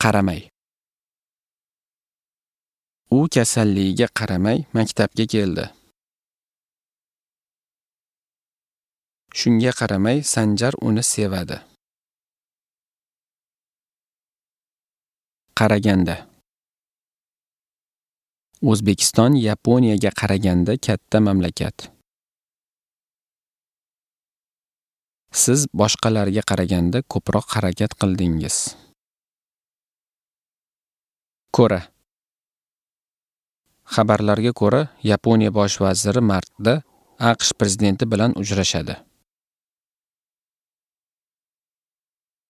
Qaramay. U kasalligiga qaramay maktabga keldi. Shunga qaramay Sanjar uni sevadi. Qaraganda. O'zbekiston Yaponiyaga qaraganda katta mamlakat. Siz boshqalarga qaraganda ko'proq harakat qildingiz. Ko'ra. Xabarlarga ko'ra, Yaponiya bosh vaziri martda AQSh prezidenti bilan uchrashadi.